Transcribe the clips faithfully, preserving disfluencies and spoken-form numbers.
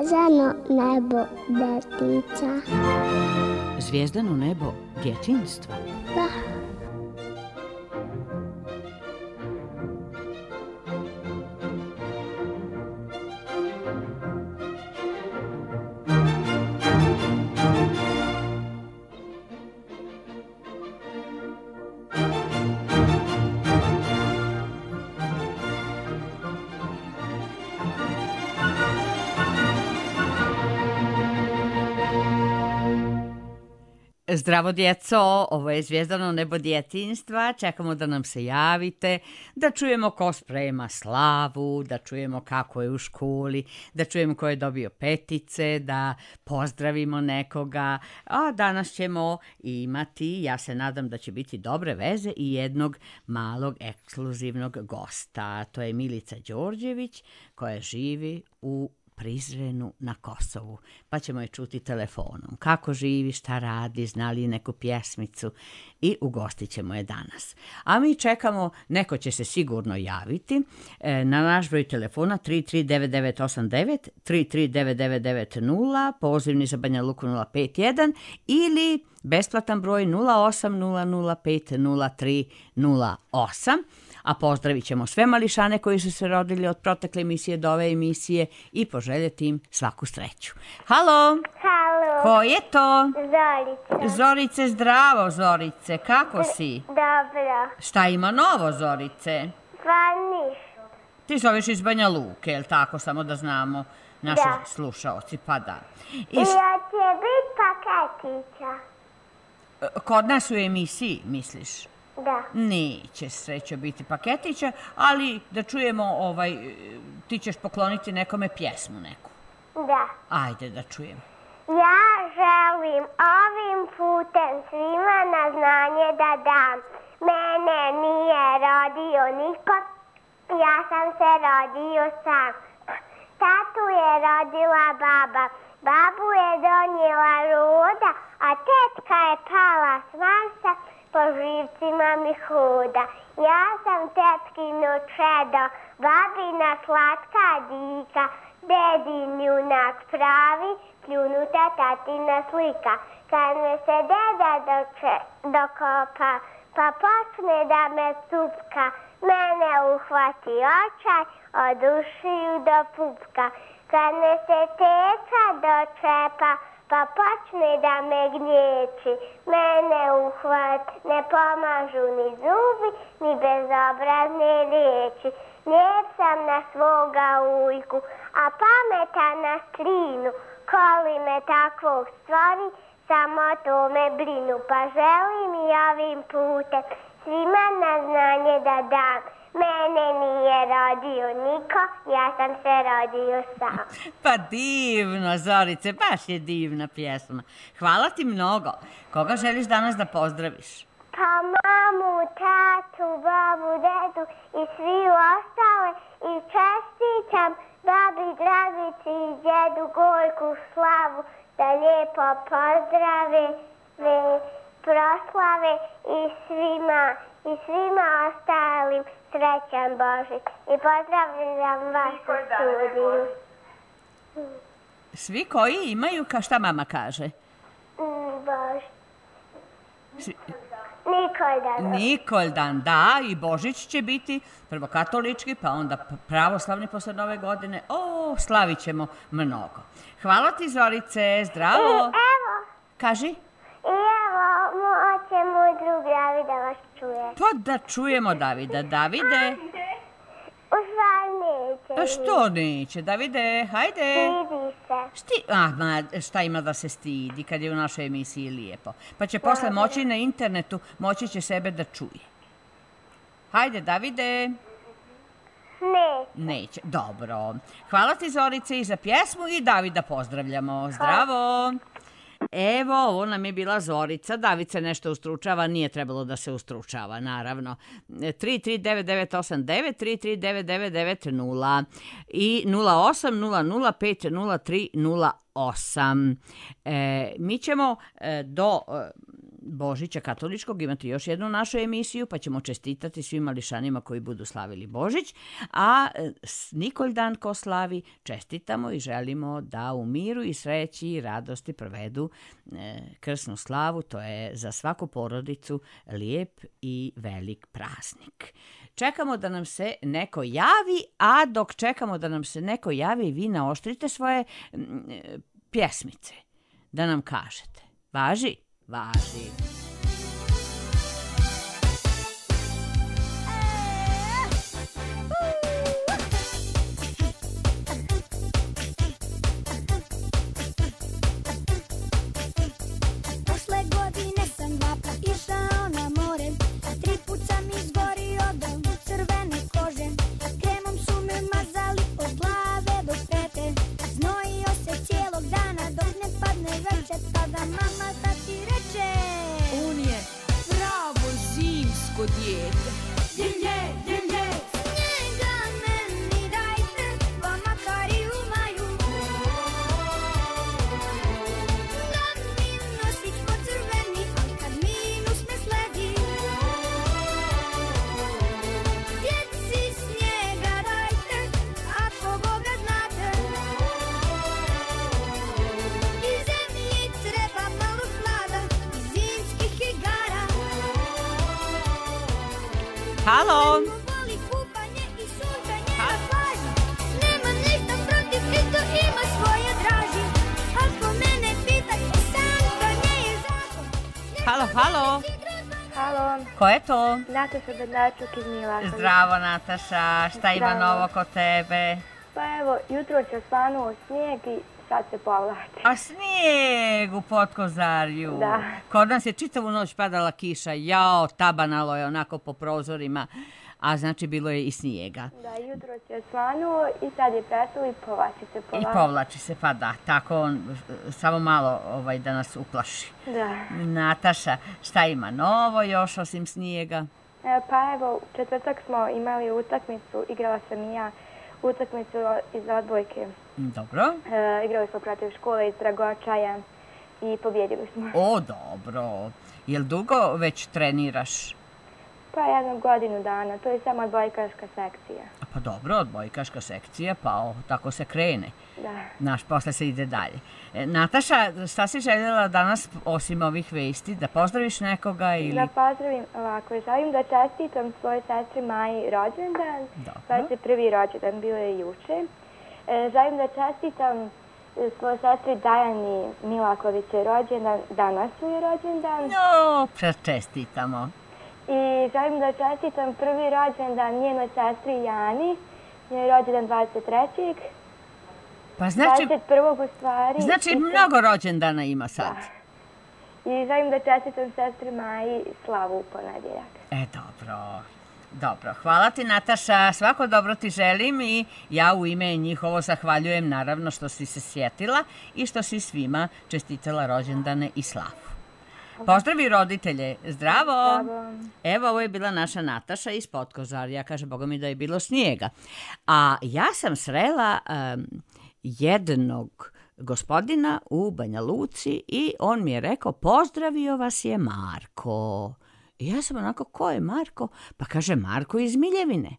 Zvezdano nebo detica. Zvijezdano nebo djetinjstva? Da. Zdravo djeco, ovo je Zvijezdano nebo djetinjstva, čekamo da nam se javite, da čujemo ko sprema slavu, da čujemo kako je u školi, da čujemo ko je dobio petice, da pozdravimo nekoga, a danas ćemo imati, ja se nadam da će biti dobre veze, i jednog malog ekskluzivnog gosta. To je Milica Đorđević koja živi u Prizrenu na Kosovu, pa ćemo je čuti telefonom. Kako živi, šta radi, zna li neku pjesmicu, i ugostit ćemo je danas. A mi čekamo, neko će se sigurno javiti na naš broj telefona tri tri devet devet osam devet, tri tri devet devet devet nula, pozivni za Banja Luku nula pet jedan ili besplatan broj nula osam nula nula pet nula tri nula osam. A pozdravit ćemo sve mališane koji su se rodili od protekle emisije do ove emisije i poželjeti im svaku sreću. Halo? Halo. Ko je to? Zorica. Zorice, zdravo Zorice, kako si? Dobro. Šta ima novo, Zorice? Pa ništa. Ti zoveš iz Banja Luke, jel tako, samo da znamo naši Da. slušaoci, pa da. I hoće biti paketića. Kod nas u emisiji, misliš? Da. Neće srećo biti paketića, ali da čujemo, ovaj, ti ćeš pokloniti nekome pjesmu neku. Da. Ajde da čujemo. Ja želim ovim putem svima na znanje da dam. Mene nije rodio niko, ja sam se rodio sam. Tatu je rodila baba, babu je donijela ruda, a tetka je pala s Marsa, po živcima mi huda. Ja sam tetkino čedo, babina slatka dika, dedin junak pravi, pljunuta tatina slika. Kad me se deda doče, dokopa, pa počne da me cupka, mene uhvati očaj od ušiju do pupka. Kad me se teta dočepa, pa počne da me gnječi, mene uhvat, ne pomažu ni zubi, ni bezobrazne riječi. Lijep sam na svoga ujku, a pametan na strinu, koli me takvog stvori, samo to me brinu. Pa želim i ovim putem svima na znanje da dam. Mene nije rodio niko, ja sam se rodio sam. Pa divno, Zorice, baš je divna pjesma. Hvala ti mnogo. Koga želiš danas da pozdraviš? Pa mamu, tatu, babu, dedu i svi ostale, i čestitam babi Dragici i djedu Gojku Slavu da lijepo pozdrave, ve, proslave i svima, i svima ostalim srećan Božić. I pozdravljam vas u studiju. Svi koji imaju, ka šta mama kaže? Mm, Božić. Svi... Nikoldan. Nikoldan, da, i Božić će biti prvo katolički, pa onda pravoslavni posle nove godine. O, slavit ćemo mnogo. Hvala ti, Zorice, zdravo. I evo. Kaži. I evo, hoće moj drug David da vas čuje. Pa da čujemo Davida. Davide. U stvari neće. A što neće? Davide, hajde. Stidi se. Sti... Ah, ma, šta ima da se stidi kad je u našoj emisiji lijepo. Pa će posle moći na internetu, moći će sebe da čuje. Hajde, Davide. Neće. Neće. Dobro. Hvala ti, Zorice, i za pjesmu i Davida pozdravljamo. Zdravo. Evo, ovo nam je bila Zorica. David se nešto ustručava, nije trebalo da se ustručava, naravno. tri tri devet devet osam devet, tri tri devet devet devet nula i nula osam nula nula pet nula tri nula osam. E, mi ćemo e, do e, Božića katoličkog imati još jednu našu emisiju, pa ćemo čestitati svim mališanima koji budu slavili Božić, a e, Nikoldan ko slavi čestitamo i želimo da u miru i sreći i radosti provedu e, krsnu slavu. To je za svaku porodicu lijep i velik praznik. Čekamo da nam se neko javi, a dok čekamo da nam se neko javi, vi naoštrite svoje m, pjesmice, da nam kažete. Važi? Važi. Prošle godine sam dva put išao na more, tri put sam izgorio do crvene kože. Kremom su me mazali od glave do pete, znojio se cijelog dana dok ne padne večer. Tada mama tati reče: on je pravo zimsko dijete. Dimlje, dimlje, snijega meni dajte, pa makar i u maju. Da mi nosić pocrveni, ali kad minus me sledi. Djeci snijega dajte, ako Boga znate. I zemlji treba malo hlada, i zimskih igara. Halo? Voli kupanje i sunčanje na plaži. Nema ništa protiv, isto ima svoje draži. Ako mene pitate, sankanje je zakon. Halo, halo? Halo, Ko je to? Nataša Bednačuk iz Milakovića. Zdravo, Nataša. Šta ima Zdravo. novo kod tebe? Pa evo, jutro se osvanuo snijeg i sad se povlači. A snijeg u Potkozarju. Da. Kod nas je čitavu noć padala kiša. Jao, tabanalo je onako po prozorima. A znači bilo je i snijega. Da, jutro se osvanuo i sad je prestalo i povlači se I povlači. povlači se, pa da. Tako on e, samo malo ovaj, da nas uplaši. Da. Nataša, šta ima novo još osim snijega? E, pa evo, u četvrtak smo imali utakmicu, igrala sam i ja utakmicu iz odbojke. Dobro. E, igrali smo protiv škole iz Dragočaja i pobjedili smo. O, dobro. Jel dugo već treniraš? Pa jednu godinu dana, to je samo odbojkaška sekcija. A pa dobro, odbojkaška sekcija, pa o, tako se krene. Da. Naš, posle se ide dalje. E, Nataša, šta si željela danas, osim ovih vesti, da pozdraviš nekoga ili... Da pozdravim ovako, želim da čestitam svojoj sestri Maji rođendan. Dobro. dvadeset prvi rođendan, bio je juče. E, želim da čestitam e, svojoj sestri Dajani Milaković je rođendan, danas mu je rođendan. No, čestitamo. I želim da čestitam prvi rođendan njenoj sestri Jani, njen je rođendan dvadeset trećeg Pa znači, dvadeset prvog u stvari. znači I mnogo rođendana ima sad. I želim da čestitam sestri Maji slavu u ponedjeljak. E, dobro. Dobro, hvala ti Nataša, svako dobro ti želim i ja u ime njihovo zahvaljujem naravno što si se sjetila i što si svima čestitala rođendane i slavu. Pozdravi roditelje, zdravo! Zdravo. Evo, ovo je bila naša Nataša iz Potkozarja, kaže Boga mi da je bilo snijega. A ja sam srela um, jednog gospodina u Banja Luci i on mi je rekao, pozdravio vas je Marko. I ja sam onako, ko je Marko? Pa kaže, Marko iz Miljevine.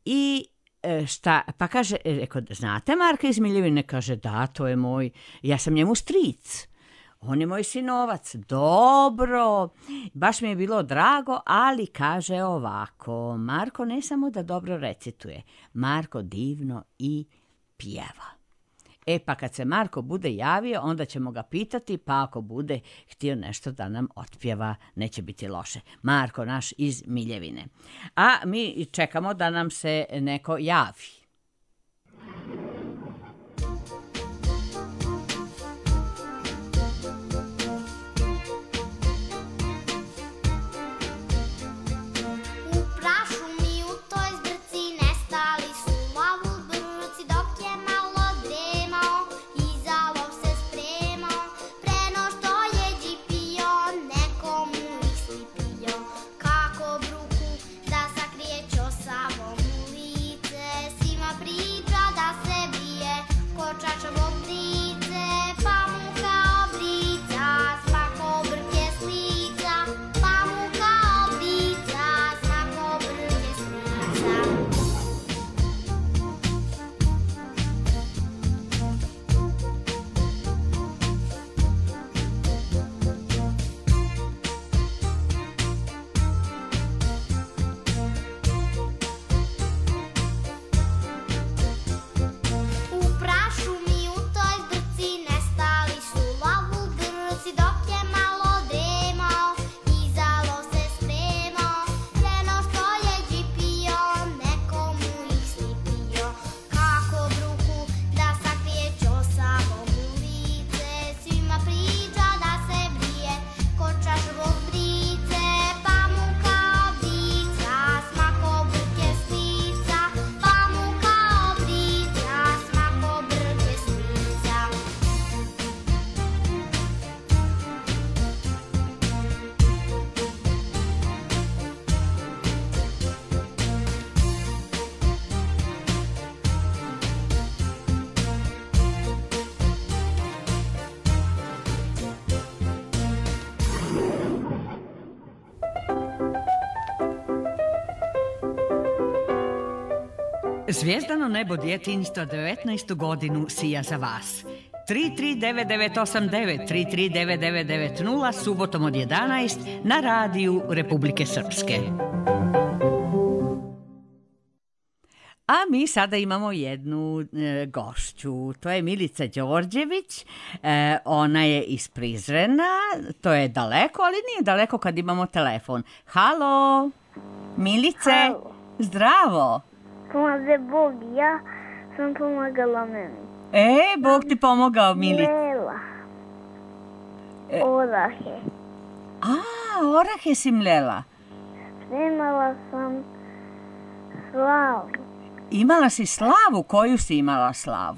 I e, šta, pa kaže, rekao, znate Marka iz Miljevine? Kaže, da, to je moj, ja sam njemu stric. On je moj sinovac. Dobro, baš mi je bilo drago, ali kaže ovako, Marko ne samo da dobro recituje, Marko divno i pjeva. E pa kad se Marko bude javio, onda ćemo ga pitati, pa ako bude htio nešto da nam otpjeva, neće biti loše. Marko naš iz Miljevine. A mi čekamo da nam se neko javi. U prašu mi u toj zbrci nestali su malo brci dok je malo dremao i za lov se spremao. Preno Zvijezdano nebo djetinjstva devetnaestu godinu sija za vas. tri tri devet devet osam devet, tri tri devet devet devet nula, subotom od jedanaest na radiju Republike Srpske. A mi sada imamo jednu e, gošću, to je Milica Đorđević, e, ona je iz Prizrena, to je daleko, ali nije daleko kad imamo telefon. Halo, Milice, Halo. Zdravo. Pomaže Bog, ja sam pomagala meni. E, Bog ti pomogao, Milice. Mlela. E. Orahe. A, orahe si mlela. Spremala sam slavu. Imala si slavu, koju si imala slavu?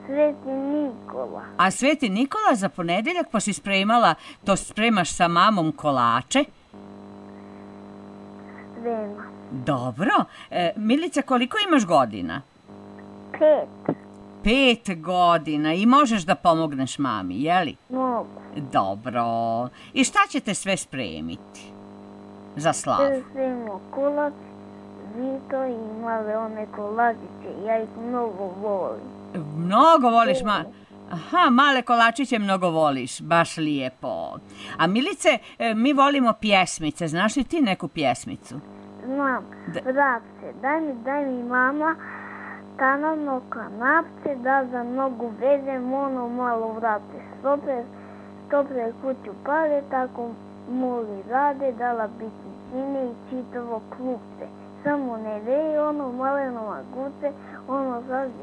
Sveti Nikola. A Sveti Nikola za ponedeljak pa si spremala, to spremaš sa mamom kolače? Sprema. Dobro. E, Milice, koliko imaš godina? Pet. Pet godina i možeš da pomogneš mami, jeli? Mogu. Dobro. I šta ćete sve spremiti za slavu? Spremimo kolač, žito i male one kolačiće. Ja ih mnogo volim. Mnogo voliš, ma... Aha, male kolačiće mnogo voliš, baš lijepo. A Milice, e, mi volimo pjesmice, znaš li ti neku pjesmicu? Znam, Da. vrapce, daj mi, daj mi mama, tanano kanapce, da za nogu vezem ono malo vrapce. Stopre, stopre kuću pare, tako moli rade, dala biti sine i čitavo klupce. Samo ne veje ono maleno maguce, ono zazi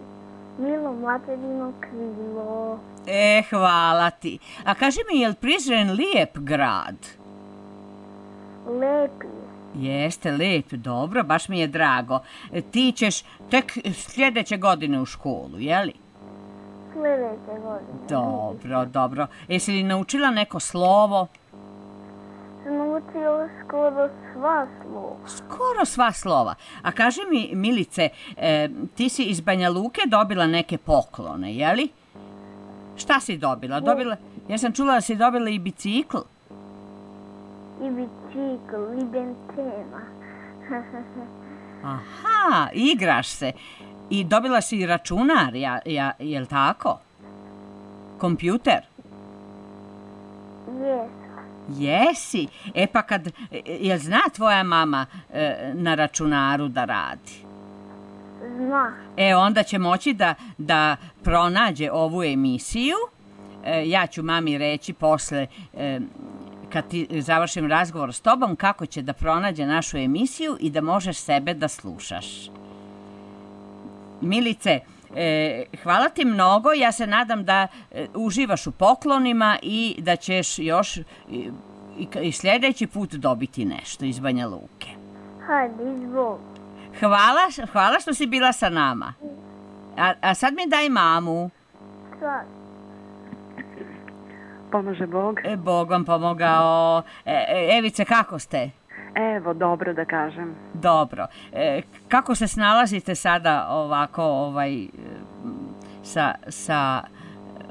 milo materino krilo. E, hvala ti. A kaži mi, je li Prizren lijep grad? Lepi je. Jeste, lijep, dobro, baš mi je drago. E, ti ćeš tek sljedeće godine u školu, jeli? Sljedeće godine. Dobro, dobro. Jesi li naučila neko slovo? Sam naučila skoro sva slova. Skoro sva slova. A kaži mi, Milice, e, ti si iz Banja Luke dobila neke poklone, jeli? Šta si dobila? Dobila, ja sam čula da si dobila i bicikl. I bicikl, i benzema. Aha, igraš se. I dobila si i računar, ja, ja, jel tako? Kompjuter? Jes. Jesi. E pa kad, e, jel zna tvoja mama e, na računaru da radi? Zna. E, onda će moći da, da pronađe ovu emisiju. E, ja ću mami reći posle, e, kad ti završim razgovor s tobom, kako će da pronađe našu emisiju i da možeš sebe da slušaš. Milice, e, hvala ti mnogo. Ja se nadam da e, uživaš u poklonima i da ćeš još i, i, i sljedeći put dobiti nešto iz Banja Luke. Hajde, izvoli. Hvala, hvala što si bila sa nama. A, a sad mi daj mamu. Sad. Pomaže Bog. E, Bog vam pomogao. E, e, Evice, kako ste? Evo, dobro da kažem. Dobro. E, kako se snalazite sada ovako ovaj, sa, sa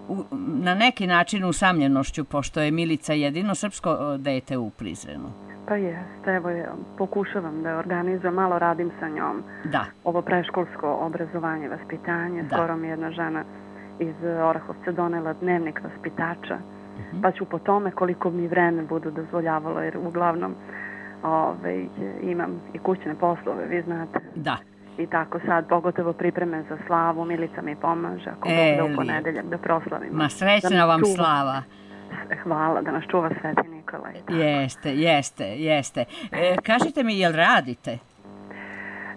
u, na neki način usamljenošću, pošto je Milica jedino srpsko dete u Prizrenu? Pa jeste, evo ja pokušavam da organizujem, malo radim sa njom. Da. Ovo preškolsko obrazovanje, vaspitanje. Da. Skoro mi je jedna žena iz Orahovca donela dnevnik vaspitača. Uh-huh. Pa ću po tome koliko mi vreme budu dozvoljavalo, jer uglavnom ove, imam i kućne poslove, vi znate. Da. I tako sad, pogotovo pripreme za slavu, Milica mi pomaže, ako E, Bog da u ponedeljak da proslavimo. Ma srećna Da nas vam čuva. slava. Hvala, da nas čuva Sveti Nikola. i tako. Jeste, jeste, jeste. E, kažite mi, jel radite?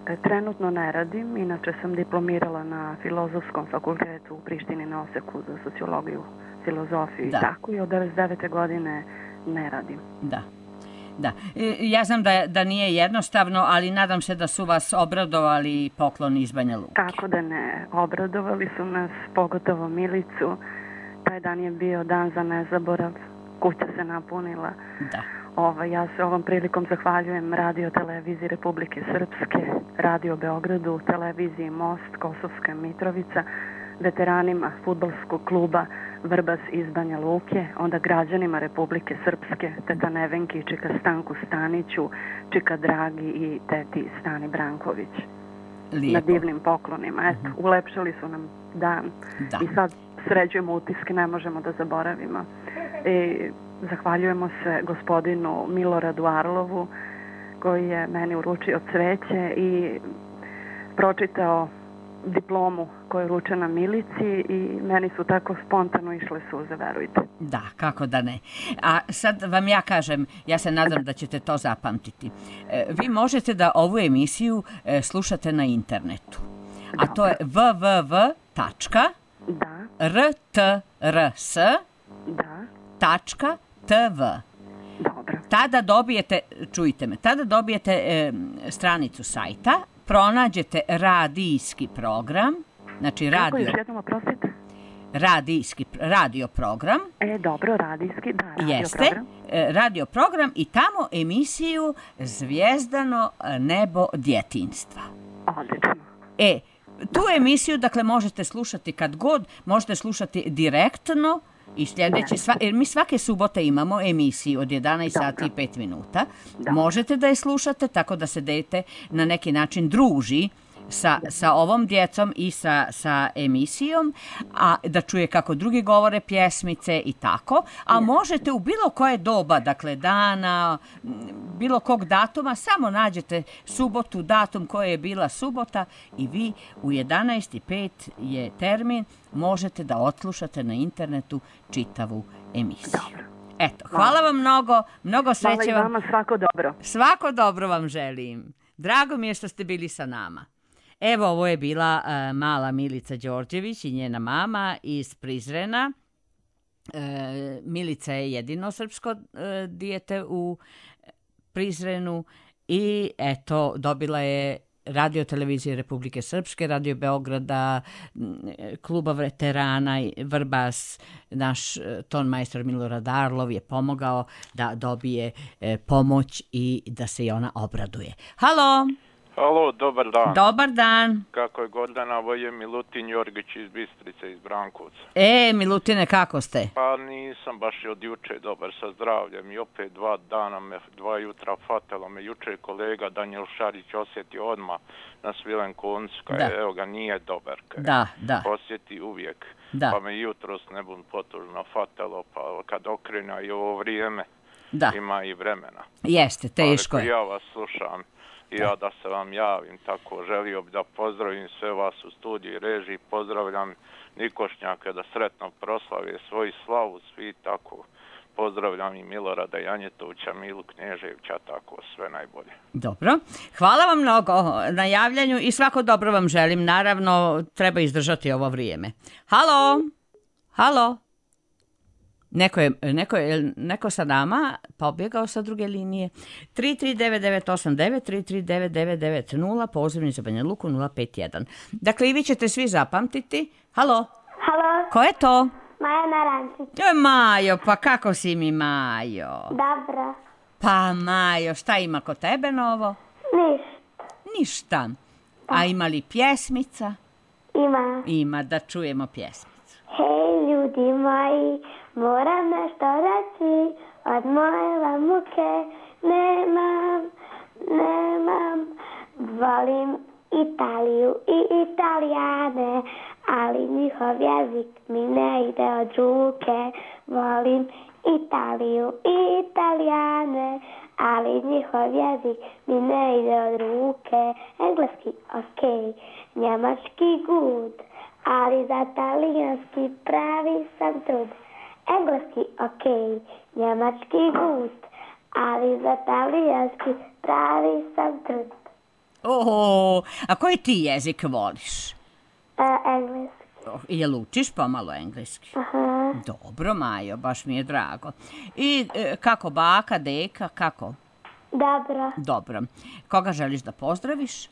E, Trenutno ne radim, inače sam diplomirala na Filozofskom fakultetu u Prištini na Oseku za sociologiju, filozofiju Da. i tako, i od devedeset devete godine ne radim. Da. Da. E, ja znam da, da nije jednostavno, ali nadam se da su vas obradovali pokloni iz Banja Luke. Kako da ne, obradovali su nas, pogotovo Milicu. Taj dan je bio dan za nezaborav, kuća se napunila. Da. Ova, ja se ovom prilikom zahvaljujem Radio Televiziji Republike Srpske, Radio Beogradu, Televiziji Most, Kosovska Mitrovica, veteranima fudbalskog kluba Vrbas iz Banja Luke, onda građanima Republike Srpske, teta Nevenki i čika Stanku Staniću, čika Dragi i teti Stani Branković. na divnim poklonima. Eto, uh-huh. ulepšali su nam dan. Da. I sad sređujemo utiske, ne možemo da zaboravimo. I zahvaljujemo se gospodinu Miloradu Arlovu, koji je meni uručio cveće i pročitao diplomu koja je uručena Milici i meni su tako spontano išle suze, verujte. Da, kako da ne. A sad vam ja kažem, ja se nadam da ćete to zapamtiti. Vi možete da ovu emisiju slušate na internetu. A to je w w w tačka r t r s tačka t v. Dobro. Tada dobijete, čujte me, tada dobijete e, stranicu sajta, pronađete radijski program, znači radio... Kako još jednom, oprostite? Radijski, radio program. E, dobro, radijski, da, radio jeste, program. E, radio program i tamo emisiju Zvijezdano nebo djetinjstva. Odlično. E, tu emisiju, dakle, možete slušati kad god, možete slušati direktno i sljedeći, sva, jer mi svake subote imamo emisiju od jedanaest sati i pet minuta. Dobro. Možete da je slušate tako da se dete na neki način druži sa, sa ovom djecom i sa, sa emisijom, a da čuje kako drugi govore pjesmice i tako, a možete u bilo koje doba, dakle dana, bilo kog datuma, samo nađete subotu, datum koje je bila subota i vi u jedanaest i pet je termin, možete da odslušate na internetu čitavu emisiju. Dobro. Eto, hvala vam mnogo, mnogo sreće vam. Hvala i vama, svako dobro. Svako dobro vam želim. Drago mi je što ste bili sa nama. Evo, ovo je bila uh, mala Milica Đorđević i njena mama iz Prizrena. Uh, Milica je jedino srpsko uh, dijete u Prizrenu i eto, dobila je Radio televizije Republike Srpske, Radio Beograda, kluba veterana Vrbas, naš ton majstor Milorad Arlov je pomogao da dobije e, pomoć i da se i ona obraduje. Halo! Halo, dobar dan. Dobar dan. Kako je Gordana, ovo je Milutin Jorgić iz Bistrice, iz Brankovca. E, Milutine, kako ste? Pa nisam baš od juče dobar sa zdravljem i opet dva dana, me, dva jutra fatelo me. Juče kolega Danijel Šarić osjetio odmah na Svilen koncu, kaj evo ga nije dobar. Kaj da, da. Osjeti uvijek. Da. Pa me jutros ne bud potužno fatelo, pa kad okrena i ovo vrijeme, da. Ima i vremena. Jeste, teško je. Ja vas slušam. I ja da se vam javim, tako želio bi da pozdravim sve vas u studiji režiji, pozdravljam Nikošnjaka da sretno proslave svoju slavu, svi tako, pozdravljam i Milorada Janjetovića, Milu Knježevića, tako, sve najbolje. Dobro, hvala vam mnogo na javljanju i svako dobro vam želim, naravno treba izdržati ovo vrijeme. Halo, halo. Neko je, neko je neko sa nama pobjegao sa druge linije. tri tri devet devet osam devet, tri tri devet devet devet nula, pozivni za Banja Luku nula pet jedan. Dakle, i vi ćete svi zapamtiti. Halo? Halo? Ko je to? Maja Narančić. To je Majo, pa kako si mi, Majo? Dobro. Pa, Majo, šta ima kod tebe novo? Ništa. Ništa. A ima li pjesmica? Ima. Ima, da čujemo pjesmicu. Hej, ljudi moji, moram nešto reći, od moje muke nemam, nemam. Volim Italiju i Italijane, ali njihov jezik mi ne ide od ruke. Volim Italiju i Italijane, ali njihov jezik mi ne ide od ruke. Engleski ok, njemački good, ali za talijanski pravi sam trud. Engleski ok, njemački good, ali za talijanski pravi sam trud. O, a koji ti jezik voliš? Uh, engleski. Oh, jel učiš pomalo engleski? Aha. Dobro, Majo, baš mi je drago. I e, kako baka, deka, kako? Dobro. Dobro. Koga želiš da pozdraviš? E,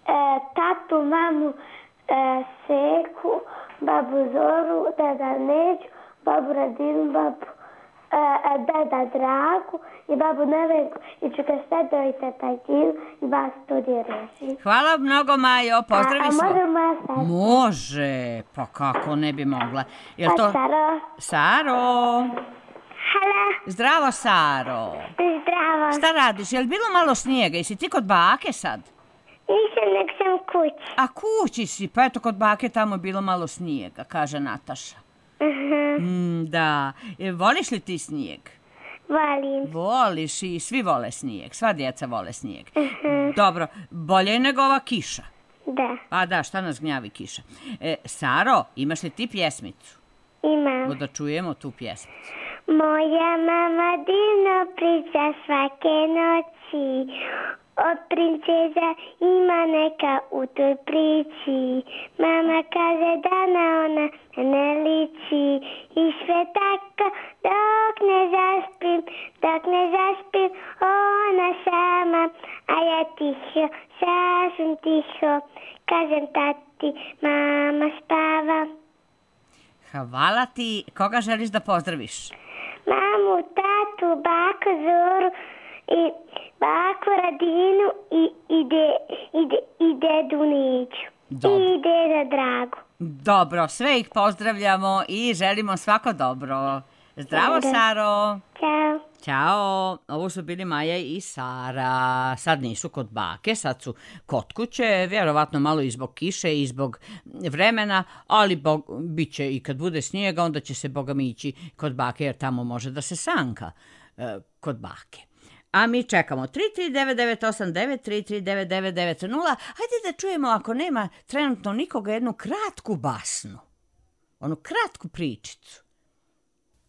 tatu, mamu, e, Seku, babu Zoru, deda Neđu, babu Radinu, babu e, deda Dragu i babu Nevenku i Čukaštedo i teta Gilu i vas studiju reži. Hvala mnogo, Majo, pozdravi a, a sve. može moja sestra? Može, pa kako ne bi mogla. Jel a to... Saro? Saro? Halo? Zdravo, Saro. Zdravo. Šta radiš? Jel bilo malo snijega? Jesi ti kod bake sad? Nisam, nek sam kući. A kući si, pa eto kod bake tamo bilo malo snijega, kaže Nataša. Uh-huh. Mm, da, e, voliš li ti snijeg? Volim. Voliš i svi vole snijeg, sva djeca vole snijeg. Uh-huh. Dobro, bolje je nego ova kiša. Da. Pa da, šta nas gnjavi kiša. E, Saro, imaš li ti pjesmicu? Imam. Da čujemo tu pjesmicu. Moja mama divno priča svake noći, od princeza ima neka u toj priči. Mama kaže da na ona ne liči i sve tako dok ne zaspim, dok ne zaspim ona sama, a ja tiho, sasvim tiho, kažem tati, mama spava. Hvala ti. Koga želiš da pozdraviš? Mamu, tatu, baku Zoru i baku Radinu i, i, de, i, de, i dedu Neđu. Dobro. I deda Dragu. Dobro, sve ih pozdravljamo i želimo svako dobro. Zdravo, Dobro. Saro. Ćao. Ćao, ovo su bili Maja i Sara. Sad nisu kod bake, sad su kod kuće, vjerovatno malo i zbog kiše i zbog vremena, ali bog, bit će i kad bude snijega, onda će se boga mi ići kod bake, jer tamo može da se sanka e, kod bake. A mi čekamo tri tri devet devet osam devet, tri tri devet devet devet nula. Hajde da čujemo, ako nema trenutno nikoga, jednu kratku basnu. Onu kratku pričicu.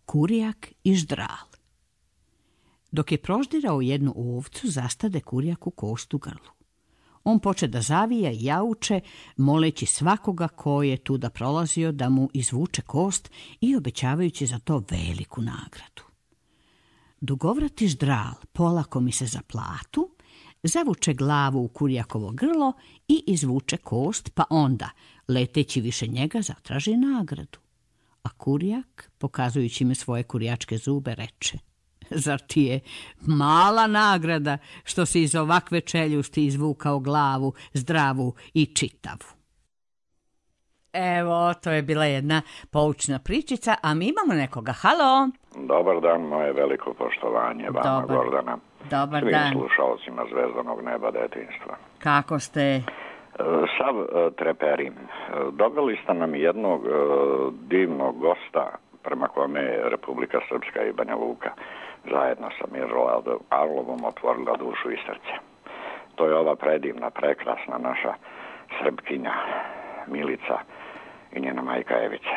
Kurijak i ždral. Dok je proždirao jednu ovcu, zastade kurijak u kost u grlu. On poče da zavija i jauče, moleći svakoga ko je tuda prolazio da mu izvuče kost i obećavajući za to veliku nagradu. Dugovrati ždral polako mi se za platu, zavuče glavu u kurijakovo grlo i izvuče kost, pa onda, leteći više njega, zatraži nagradu. A kurijak, pokazujući mi svoje kurijačke zube, reče: zar ti je mala nagrada što si iz ovakve čeljusti izvukao glavu zdravu i čitavu? Evo, to je bila jedna poučna pričica, a mi imamo nekoga. Halo? Dobar dan, moje veliko poštovanje vama, Dobar. Gordana. Dobar Svim dan. slušalcima Zvezdanog neba detinjstva. Kako ste? Sav treperim. Doveli ste nam jednog divnog gosta prema kome je Republika Srpska i Banja Luka zajedno sa Miroladom Arlovom otvorila dušu i srce. To je ova predivna, prekrasna naša Srpkinja Milica i njena majka Evica.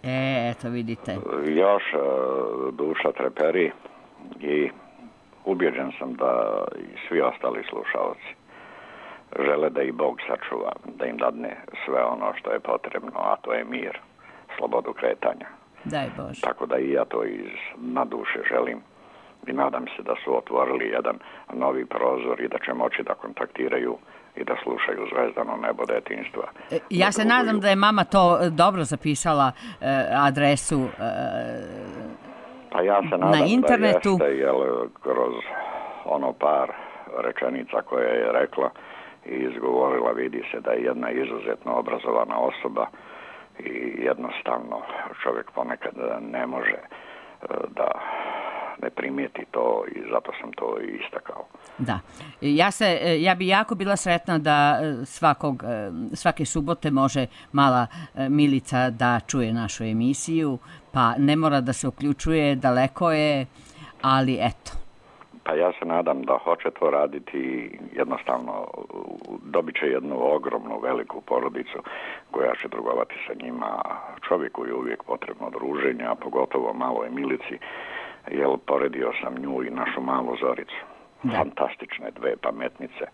E, eto vidite. Još duša treperi i ubjeđen sam da i svi ostali slušalci žele da i Bog sačuva, da im dadne sve ono što je potrebno, a to je mir, slobodu kretanja. Daj Bože. Tako da i ja to iz na duše želim i nadam se da su otvorili jedan novi prozor i da će moći da kontaktiraju i da slušaju Zvezdano nebo detinjstva. E, ja se nadam da je mama to dobro zapisala, e, adresu e, pa ja se nadam na internetu. Da jeste, jer kroz ono par rečenica koje je rekla i izgovorila vidi se da je jedna izuzetno obrazovana osoba i jednostavno čovjek ponekad ne može da ne primijeti to i zato sam to i istakao. Da. Ja, se, ja bi jako bila sretna da svakog, svake subote može mala Milica da čuje našu emisiju, pa ne mora da se uključuje, daleko je, ali eto. Pa ja se nadam da hoće to raditi i jednostavno dobit će jednu ogromnu, veliku porodicu koja će drugovati sa njima. Čovjeku je uvijek potrebno druženje, a pogotovo maloj Milici, jer poredio sam nju i našu malu Zoricu. Da. Fantastične dve pametnice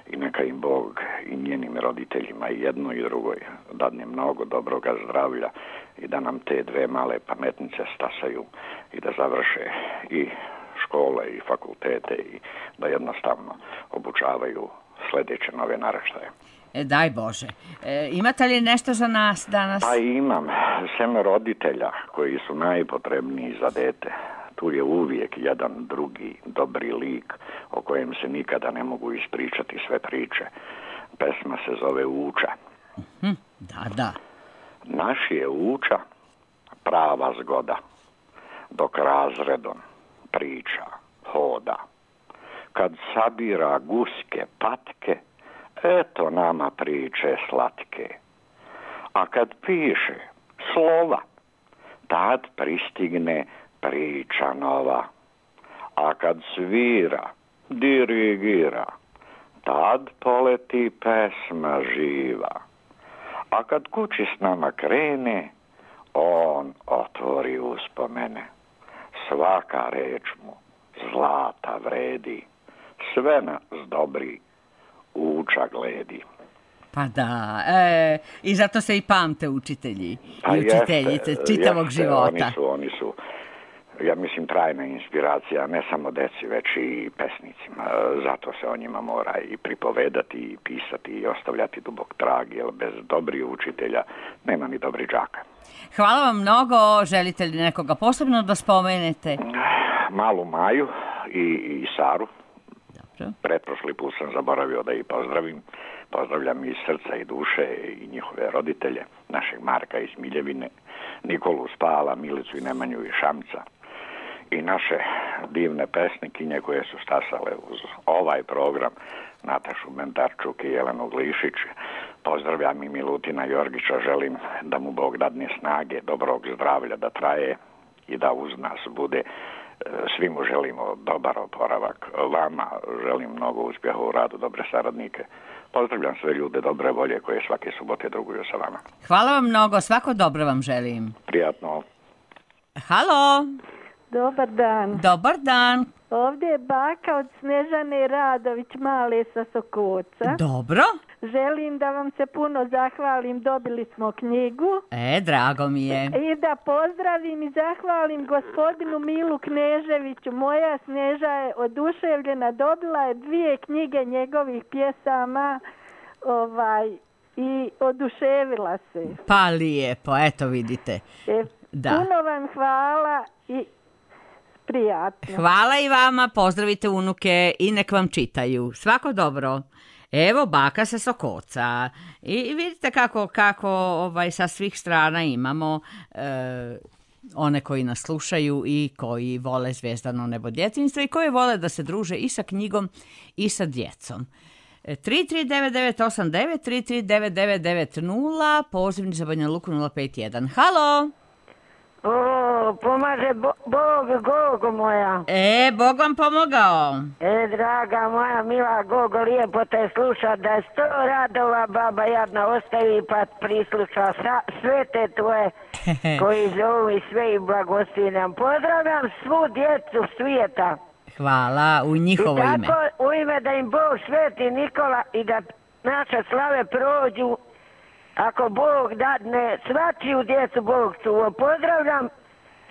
i neka im Bog i njenim roditeljima i jedno i drugoj dadne mnogo dobroga zdravlja i da nam te dve male pametnice stasaju i da završe i škole i fakultete i da jednostavno obučavaju sljedeće nove naraštaje. E, daj Bože. E, imate li nešto za nas danas? Pa imam. Sem roditelja koji su najpotrebniji za dete. Tu je uvijek jedan drugi dobri lik o kojem se nikada ne mogu ispričati sve priče. Pesma se zove Uča. Uh-huh. Da, da. Naš je Uča prava zgoda, dok razredom priča, hoda. Kad sabira guske patke, eto nama priče slatke. A kad piše slova, tad pristigne priča nova. A kad svira, dirigira, tad poleti pesma živa. A kad kući s nama krene, on otvori uspomene. Svaka reč mu zlata vredi, sve nas dobri uča gledi. Pa da, e, i zato se i pamte učitelji Pa i učiteljice jeste, čitavog jeste, života. Oni su, oni su, ja mislim, trajna inspiracija, ne samo deci, već i pesnicima. Zato se o njima mora i pripovedati, i pisati, i ostavljati dubok trag, jer bez dobrih učitelja nema ni dobrih đaka. Hvala vam mnogo. Želite li nekoga posebno da spomenete? Malu Maju i, i Saru. Dobro. Pretprošli put sam zaboravio da ih pozdravim. Pozdravljam iz srca i duše i njihove roditelje, našeg Marka iz Miljevine, Nikolu Spala, Milicu i Nemanju iz Šamca i naše divne pesnikinje koje su stasale uz ovaj program, Natašu Mentarčuk i Jelenu Glišić. Pozdravljam i Milutina Jorgića, želim da mu Bog dadne snage, dobrog zdravlja da traje i da uz nas bude. Svi mu želimo dobar oporavak. Vama želim mnogo uspjeha u radu, dobre saradnike. Pozdravljam sve ljude dobre volje koje svake subote druguju sa vama. Hvala vam mnogo, svako dobro vam želim. Prijatno. Halo. Dobar dan. Dobar dan. Ovdje je baka od Snežane Radović Male sa Sokoca. Dobro. Želim da vam se puno zahvalim, dobili smo knjigu. E, drago mi je. I da pozdravim i zahvalim gospodinu Milu Kneževiću. Moja Sneža je oduševljena, dobila je dvije knjige njegovih pjesama ovaj, i oduševila se. Pa lijepo, eto vidite. E, da. Puno vam hvala i prijatno. Hvala i vama, pozdravite unuke i nek vam čitaju. Svako dobro. Evo baka sa Sokoca. I vidite kako, kako ovaj, sa svih strana imamo e, one koji nas slušaju i koji vole Zvezdano nebo djetinjstva i koji vole da se druže i sa knjigom i sa djecom. tri tri devet devet osam devet, tri tri devet devet devet nula, pozivni za Banja Luku nula pet jedan. Halo! O, pomaže bo, Bog, Gogo moja. E, Bog vam pomogao. E, draga moja, mila Gogo, lijepo te sluša, da je sto radova baba jadna ostavi pa prisluša sa, sve te tvoje koji zovu i sve i blagoslivljam. Pozdravljam svu djecu svijeta. Hvala, u njihovo ime. I tako ime. U ime da im Bog sveti Nikola i da naše slave prođu. Ako Bog dadne, svačiju djecu Bog čuva. Pozdravljam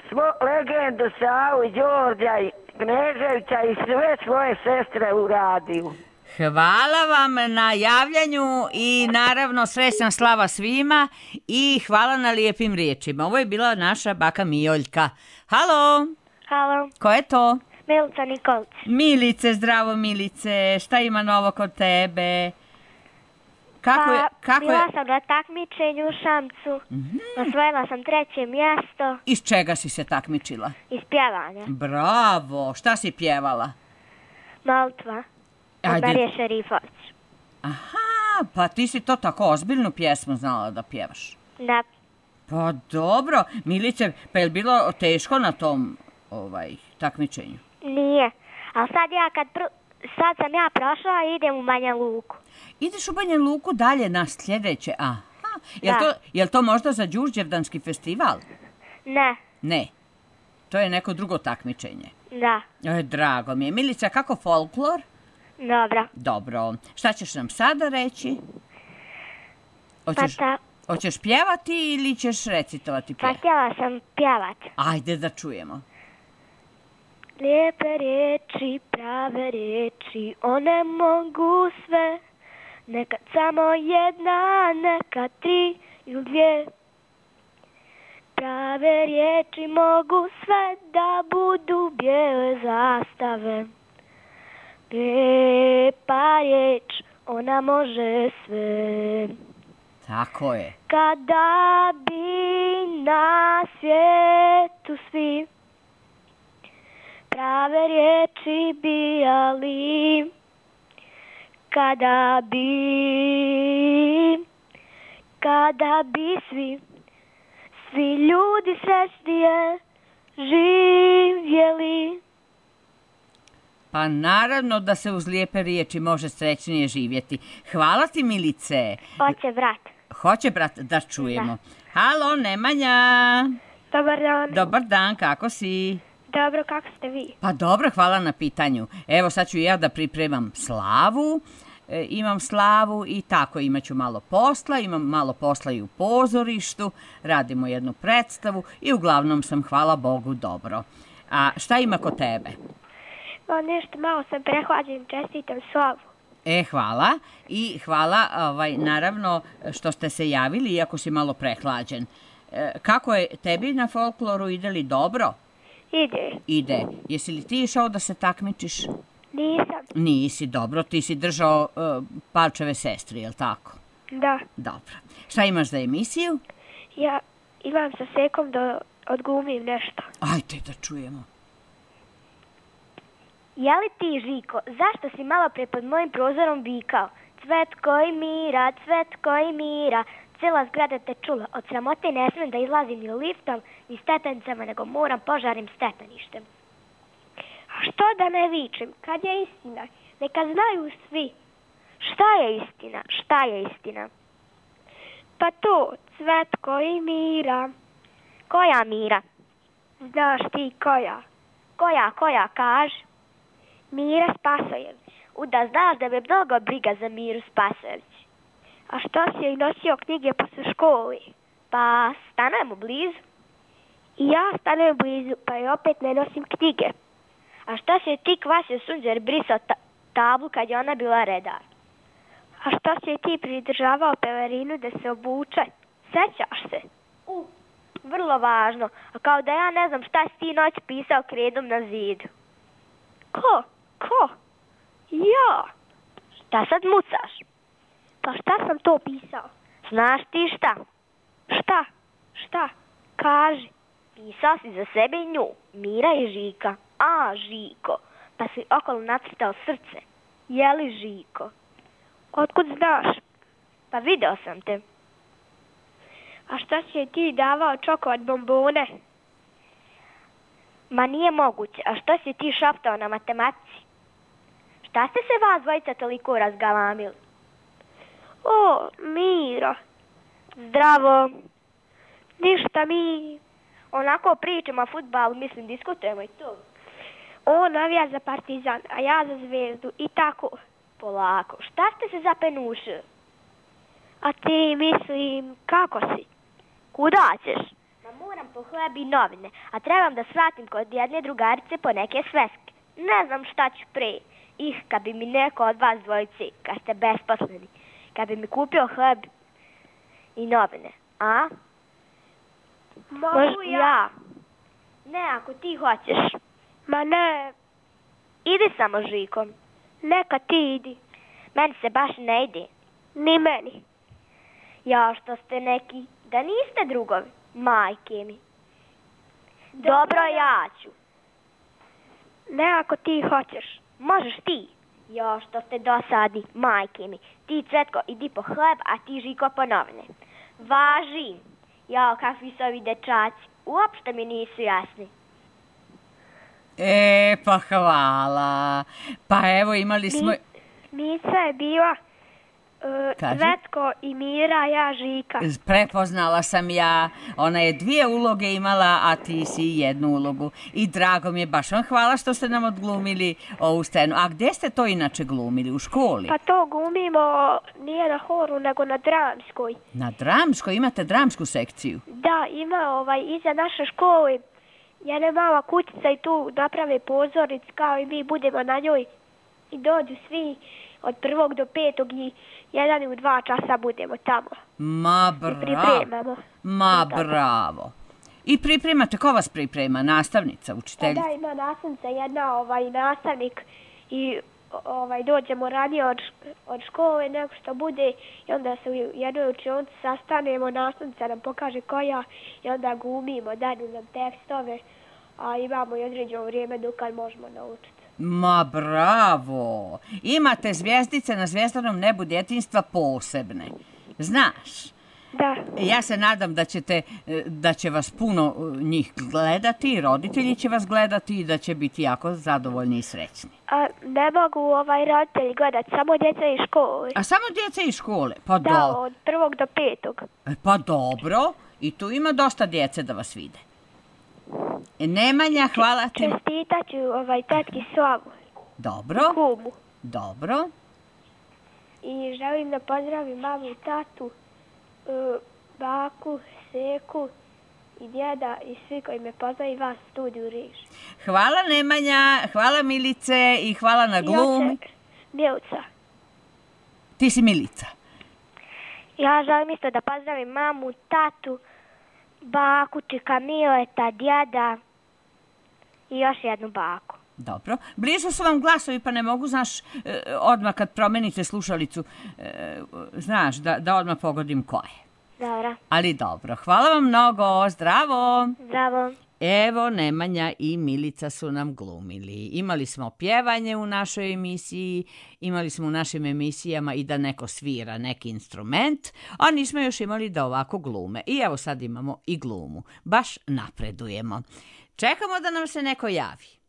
svo legendu Savu, Đorđa i Kneževića i sve svoje sestre u radiju. Hvala vam na javljanju i naravno srećna slava svima i hvala na lijepim riječima. Ovo je bila naša baka Mijoljka. Halo? Halo. Ko je to? Milica Nikolić. Milice, zdravo Milice. Šta ima novo kod tebe? Kako pa, je, kako bila je... sam na takmičenju u Šamcu. Mm-hmm. Osvojila sam treće mjesto. Iz čega si se takmičila? Iz pjevanja. Bravo. Šta si pjevala? Molitva. Od Marije Šerifović. Aha, pa ti si to tako ozbiljnu pjesmu znala da pjevaš? Da. Pa dobro. Milice, pa je li bilo teško na tom ovaj, takmičenju? Nije. Ali sad ja kad... Pr... Sad sam ja prošla i idem u Banja Luku. Ideš u Banja Luku dalje na sljedeće? Aha. Jel to, jel to možda za Đurđevdanski festival? Ne. Ne. To je neko drugo takmičenje? Da. E, drago mi je. Milica, kako folklor? Dobro. Dobro. Šta ćeš nam sada reći? Hoćeš, pa ta... hoćeš pjevati ili ćeš recitovati pjev? Pa htjela sam pjevati. Ajde da čujemo. Lijepe riječi, prave riječi, one mogu sve. Nekad samo jedna, nekad tri ili dvije. Prave riječi mogu sve da budu bijele zastave. Lijepa riječ, ona može sve. Tako je. Kada bi na svijetu svi prave riječi bijali, Kada bi, kada bi svi, svi ljudi srećnije živjeli. Pa naravno da se uz lijepe riječi može srećnije živjeti. Hvala ti, Milice. Hoće brat. Hoće brat, da čujemo. Da. Halo, Nemanja. Dobar dan. Dobar dan, kako si? Dobro, kako ste vi? Pa dobro, hvala na pitanju. Evo sad ću ja da pripremam slavu. E, imam slavu i tako imat ću malo posla. Imam malo posla i u pozorištu. Radimo jednu predstavu i uglavnom sam, hvala Bogu, dobro. A šta ima kod tebe? O, nešto malo sam prehlađen, čestitam slavu. E, hvala. I hvala, ovaj, naravno, što ste se javili, iako si malo prehlađen. E, kako je tebi na folkloru, ide li dobro? Ide. Ide. Jesi li ti išao da se takmičiš? Nisam. Nisi, dobro. Ti si držao uh, Palčeve sestri, je li tako? Da. Dobro. Šta imaš za emisiju? Ja imam sa Sekom da odglumim nešto. Ajde da čujemo. Je li ti, Žiko, zašto si malo pre pod mojim prozorom vikao? Cvetko i mira, cvetko i mira, cijela zgrada te čula. Od sramote ne smijem da izlazim ni liftom, ni stepenicama, nego moram požarim stepeništem. A što da ne vičem? Kad je istina? Neka znaju svi. Šta je istina? Šta je istina? Pa to, cvetko i mira. Koja mira? Znaš ti koja? Koja, koja, kaži? Mira Spasojević. Uda, znaš da me mnogo briga za Miru Spasojević. A što si joj nosio knjige posle školi? Pa stanujemo blizu. I ja stanujem blizu, pa joj opet ne nosim knjige. A što si joj ti Kvasio Sunđer brisao ta tablu kad je ona bila redar? A što si joj ti pridržavao pelerinu da se obuče? Sećaš se? U, vrlo važno. A kao da ja ne znam šta si ti noć pisao kredom na zidu. Ko? Ko? Ja. Šta sad mucaš? Pa šta sam to pisao? Znaš ti šta? Šta? Šta? Kaži. Pisao si za sebe i nju, Mira i Žika. A, Žiko. Pa si okolo nacrtao srce. Je li Žiko? Otkud znaš? Pa video sam te. A šta si je ti davao čokolad bombone? Ma nije moguće. A što si ti šaptao na matematici? Šta ste se vas dvojica toliko razgalamili? O, Mira. Zdravo. Ništa, mi onako pričamo o fudbalu, mislim, diskutujemo i to. On navija za Partizan, a ja za Zvezdu i tako. Polako. Šta ste se zapenušili? A ti, mislim, kako si? Kuda ćeš? Ma moram po hleb i novine, a trebam da svatim kod jedne drugarice po neke sveske. Ne znam šta ću pre. Ih, kad bi mi neko od vas dvojice, kad ste besposleni, kad bi mi kupio hleb i novine, a? Mogu ja. ja. Ne, ako ti hoćeš. Ma ne. Idi samo, Žiko. Neka ti idi. Meni se baš ne ide. Ni meni. Ja, što ste neki, da niste drugovi, majke mi. Dobro, Dobro ja ću. Ne, ako ti hoćeš. Možeš ti. Jo, što ste dosadni, majke mi. Ti, Cvetko, idi po hleb, a ti, Žiko, po novine. Važi. Jo, kakvi su ovi dečaci. Uopšte mi nisu jasni. E, pa hvala. Pa evo, imali smo... Mica je bila uh, Cvetko i Mira, ja Žika. Prepoznala sam ja. Ona je dvije uloge imala, a ti si jednu ulogu. I drago mi je, baš vam hvala što ste nam odglumili ovu scenu. A gde ste to inače glumili? U školi? Pa to glumimo nije na horu, nego na dramskoj. Na dramskoj? Imate dramsku sekciju? Da, ima ovaj, iza naše škole jedna mala kućica i tu naprave pozornic kao i mi budemo na njoj i dođu svi od prvog do petog i jedan ili dva časa budemo tamo. Ma bravo. I pripremamo. Ma bravo. I pripremate, ko vas priprema? Nastavnica, učiteljica? Pa da, ima nastavnica, jedna ovaj, nastavnik i ovaj, dođemo ranije od, od škole nego što bude i onda se u jednoj učionici sastanemo, nastavnica nam pokaže koja i onda glumimo, daju nam tekstove, a imamo i određeno vrijeme dok možemo naučiti. Ma bravo! Imate zvijezdice na zvjezdanom nebu djetinjstva posebne. Znaš? Da. Ja se nadam da ćete, da će vas puno njih gledati, roditelji će vas gledati i da će biti jako zadovoljni i srećni. A ne mogu ovaj roditelji gledati, samo djeca iz škole. A samo djeca iz škole? Pa da, do... od prvog do petog. Pa dobro, i tu ima dosta djece da vas vide. Nemanja, hvala ti. Čestitat ću ovaj tetki Slavu. Dobro. Kumu. Dobro. I želim da pozdravim mamu i tatu, baku, seku i djeda i svi koji me poznaju, vas u studiju Reži. Hvala Nemanja, hvala Milice i hvala na glumi. Milica. Ti si Milica. Ja želim isto da pozdravim mamu, tatu, baku, čika Mileta, djeda i još jednu baku. Dobro. Blizu su vam glasovi pa ne mogu, znaš, odmah kad promenite slušalicu, znaš, da, da odmah pogodim ko je. Dobro. Ali dobro. Hvala vam mnogo. Zdravo. Zdravo. Evo, Nemanja i Milica su nam glumili. Imali smo pjevanje u našoj emisiji, imali smo u našim emisijama i da neko svira neki instrument, a nismo još imali da ovako glume. I evo sad imamo i glumu. Baš napredujemo. Čekamo da nam se neko javi.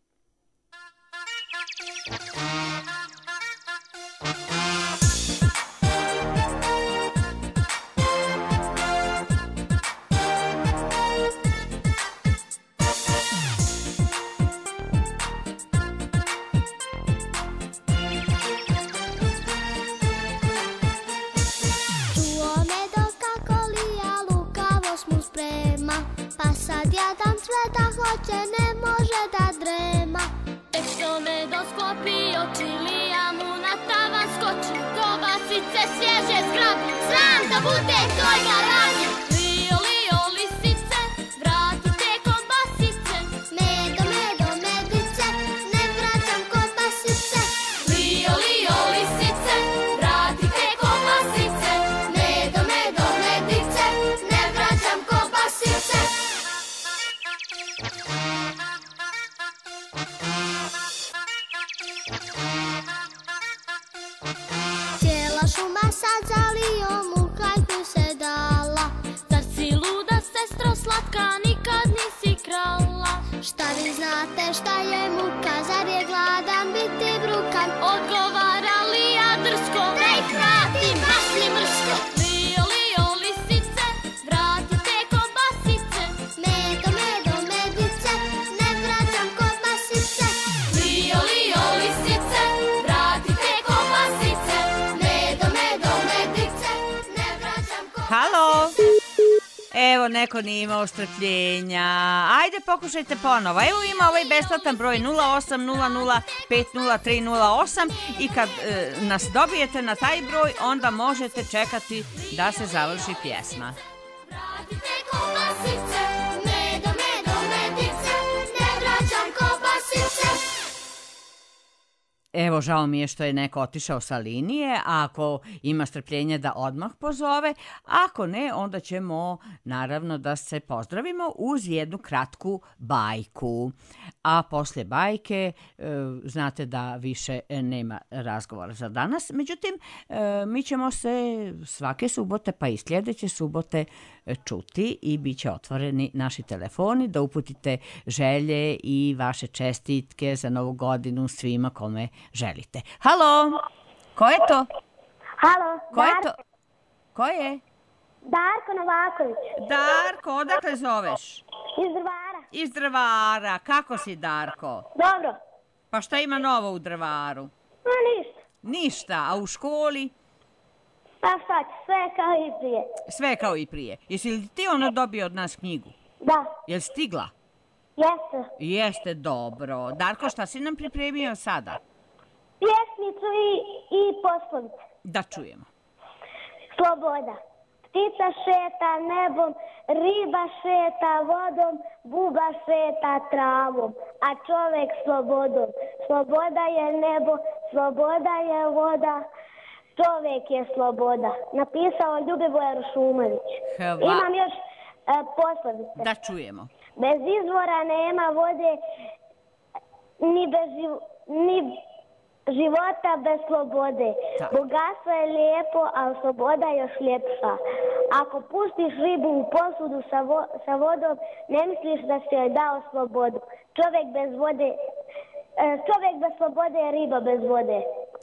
Sveta hoće, ne može da drema. Tek što me dosklopi oči, lija mu na tavan skoči. Kobasice svježe zgrabi, sram da bude tvojga ranja. Lio, lio, lisice, vratite kobasice. Medo, medo, medice, ne vraćam kobasice. Lio, lio, lisice, vratite kobasice. Medo, medo, medice, ne vraćam kobasice. Cijela šuma sad za lijom u hajku se dala. Zar si luda, sestro slatka, nikad nisi krala? Šta vi znate šta je muka, zar je gladan biti brukan? Odgovara lija drsko, da ih vratim, baš mi mrsko. Lio, lio, lisice, vratite kobasice. Medo, medo, medice, ne vraćam kobasice. Lio, lio, lisice, vratite kobasice. Medo, medo, medice, ne vraćam kobasice. Halo? Evo, neko nije imao strpljenja. Ajde, pokušajte ponovo. Evo ima ovaj besplatan broj nula osam nula nula pet nula tri nula osam i kad e, nas dobijete na taj broj, onda možete čekati da se završi pjesma. Vratite kobasice, medo, medo, medice, ne vraćam kobasice. Evo, žao mi je što je neko otišao sa linije, a ako ima strpljenja da odmah pozove, ako ne, onda ćemo naravno da se pozdravimo uz jednu kratku bajku. A poslije bajke, e, znate da više nema razgovora za danas, međutim, e, mi ćemo se svake subote pa i sljedeće subote čuti i bit će otvoreni naši telefoni da uputite želje i vaše čestitke za novu godinu svima kome želite. Halo, ko je to? Halo, Ko je to? Ko je? Darko Novaković. Darko, odakle zoveš? Iz Drvara. Iz Drvara. Kako si, Darko? Dobro. Pa šta ima novo u Drvaru? Ma ništa. Ništa, a u školi? Pa šta će, sve kao i prije. Sve kao i prije. Jesi li ti ono dobio od nas knjigu? Da. Jel stigla? Jeste. Jeste, dobro. Darko, šta si nam pripremio sada? Pjesmicu i, i poslovice. Da čujemo. Sloboda. Ptica šeta nebom, riba šeta vodom, buba šeta travom, a čovjek slobodom. Sloboda je nebo, sloboda je voda, čovjek je sloboda. Napisao Ljubivoje Rušumović. Hva... Imam još e, poslovice. Da čujemo. Bez izvora nema vode, ni bez, živ... ni života bez slobode. Tak. Bogatstvo je lijepo, ali sloboda je još ljepša. Ako pustiš ribu u posudu sa, vo- sa vodom, ne misliš da si joj dao slobodu. Čovjek bez vode, e, čovjek bez slobode je riba bez vode.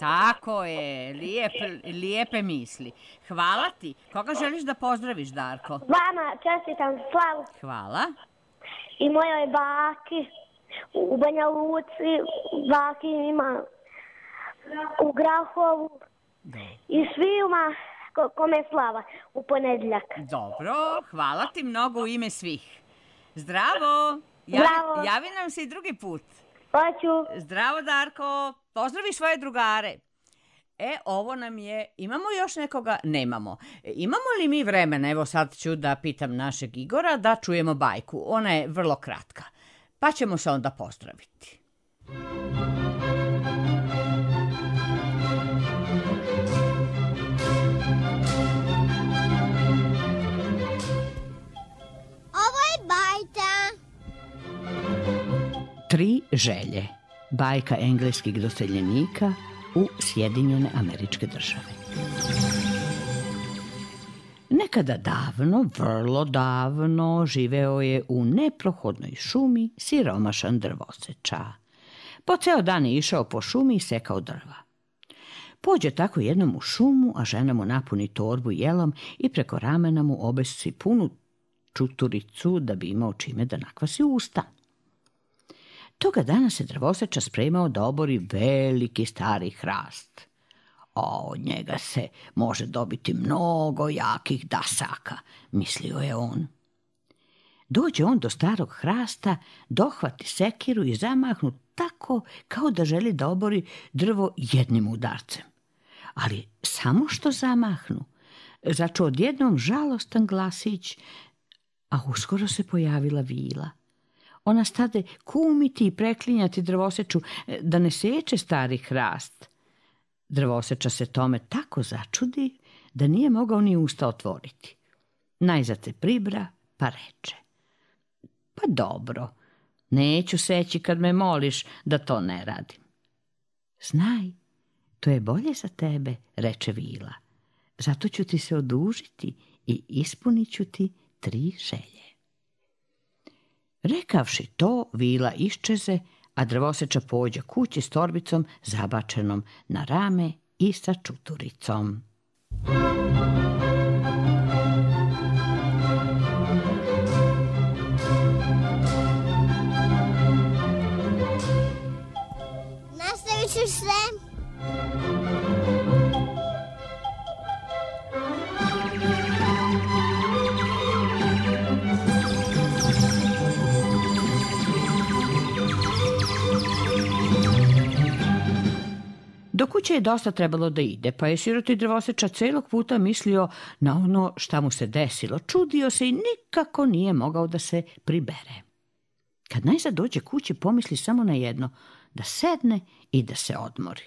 Tako je, lijep, lijepe misli. Hvala ti. Koga želiš da pozdraviš, Darko? Vama čestitam slavu Hvala. i mojoj baki u Banja Luci, baki ima u Grahovu i svima ko- kome slava u ponedjeljak. Dobro, hvala ti mnogo u ime svih. Zdravo. Zdravo. Javi nam se i drugi put. Hoću. Zdravo, Darko. Pozdravi svoje drugare. E, ovo nam je... Imamo još nekoga? Nemamo. E, imamo li mi vremena? Evo sad ću da pitam našeg Igora da čujemo bajku. Ona je vrlo kratka. Pa ćemo se onda pozdraviti. Ovo je bajka. Tri želje. Bajka engleskih doseljenika u Sjedinjene Američke Države. Nekada davno, vrlo davno, živeo je u neprohodnoj šumi siromašan drvoseča. Po ceo dan je išao po šumi i sekao drva. Pođe tako jednom u šumu, a žena mu napuni torbu jelom i preko ramena mu obesi punu čuturicu da bi imao čime da nakvasi usta. Toga dana se drvoseča spremao da obori veliki stari hrast. A od njega se može dobiti mnogo jakih dasaka, mislio je on. Dođe on do starog hrasta, dohvati sekiru i zamahnu tako kao da želi da obori drvo jednim udarcem. Ali samo što zamahnu, začuo odjednom žalostan glasić, a uskoro se pojavila vila. Ona stade kumiti i preklinjati drvoseču da ne seče stari hrast. Drvoseča se tome tako začudi da nije mogao ni usta otvoriti. Najzad se pribra pa reče: pa dobro, neću seći kad me moliš da to ne radim. Znaj, to je bolje za tebe, reče vila. Zato ću ti se odužiti i ispunit ću ti tri želje. Rekavši to, vila iščeze, a drvoseča pođe kući s torbicom zabačenom na rame i sa čuturicom. Nastavit ću sve. Do kuće je dosta trebalo da ide, pa je siroti drvoseča celog puta mislio na ono šta mu se desilo. Čudio se i nikako nije mogao da se pribere. Kad najzad dođe kući, pomisli samo na jedno, da sedne i da se odmori.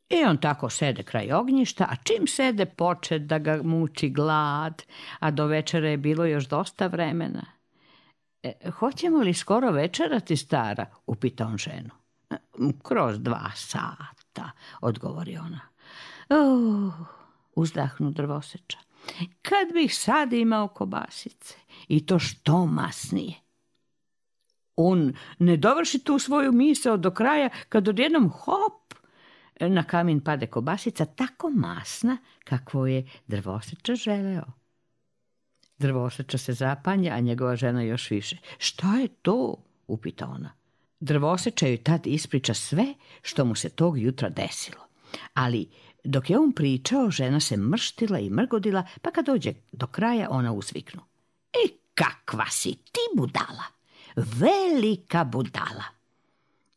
I on tako sede kraj ognjišta, a čim sede poče da ga muči glad, a do večera je bilo još dosta vremena. E, hoćemo li skoro večerati, stara? Upita on ženu. Kroz dva sata, odgovori ona. Uh, uzdahnu drvoseča. Kad bih sad imao kobasice, i to što masnije. On ne dovrši tu svoju misao do kraja, kad odjednom hop, na kamin pade kobasica tako masna kakvo je drvoseča želeo. Drvoseča se zapanja, a njegova žena još više. Šta je to? Upita ona. Drvoseča joj tad ispriča sve što mu se tog jutra desilo. Ali dok je on pričao, žena se mrštila i mrgodila, pa kad dođe do kraja, ona uzviknu. I kakva si ti budala? Velika budala.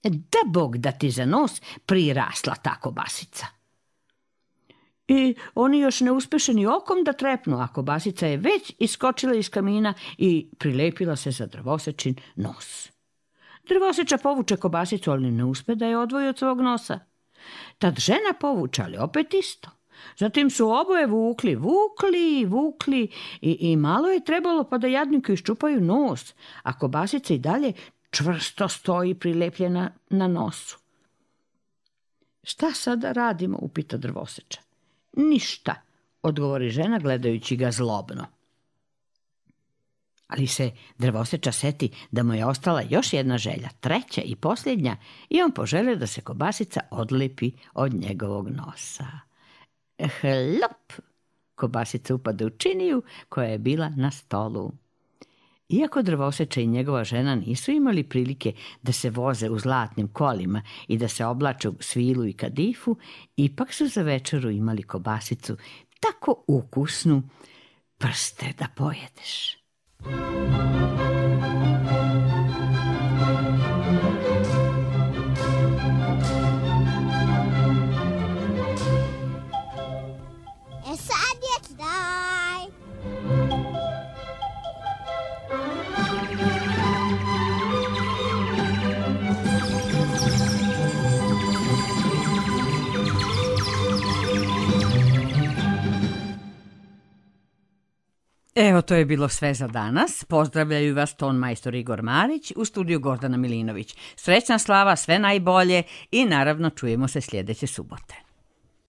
Da Bog da ti za nos prirasla ta kobasica. I oni još ne uspeše ni okom da trepnu, a kobasica je već iskočila iz kamina i prilepila se za drvosečin nos. Drvoseča povuče kobasicu, ali ne uspe da je odvoji od svog nosa. Tad žena povuče, ali opet isto. Zatim su oboje vukli, vukli, vukli i, i malo je trebalo pa da jadniku iščupaju nos, a kobasica i dalje čvrsto stoji prilepljena na nosu. Šta sada radimo, upita drvoseča. Ništa, odgovori žena gledajući ga zlobno. Ali se drvoseča seti da mu je ostala još jedna želja, treća i posljednja, i on poželio da se kobasica odlepi od njegovog nosa. Hlop! Kobasica upada u činiju koja je bila na stolu. Iako drvoseča i njegova žena nisu imali prilike da se voze u zlatnim kolima i da se oblače u svilu i kadifu, ipak su za večeru imali kobasicu tako ukusnu, prste da pojedeš. E sad je taj. Evo, to je bilo sve za danas. Pozdravljaju vas ton majstor Igor Marić, u studiju Gordana Milinović. Srećna slava, sve najbolje i naravno čujemo se sljedeće subote.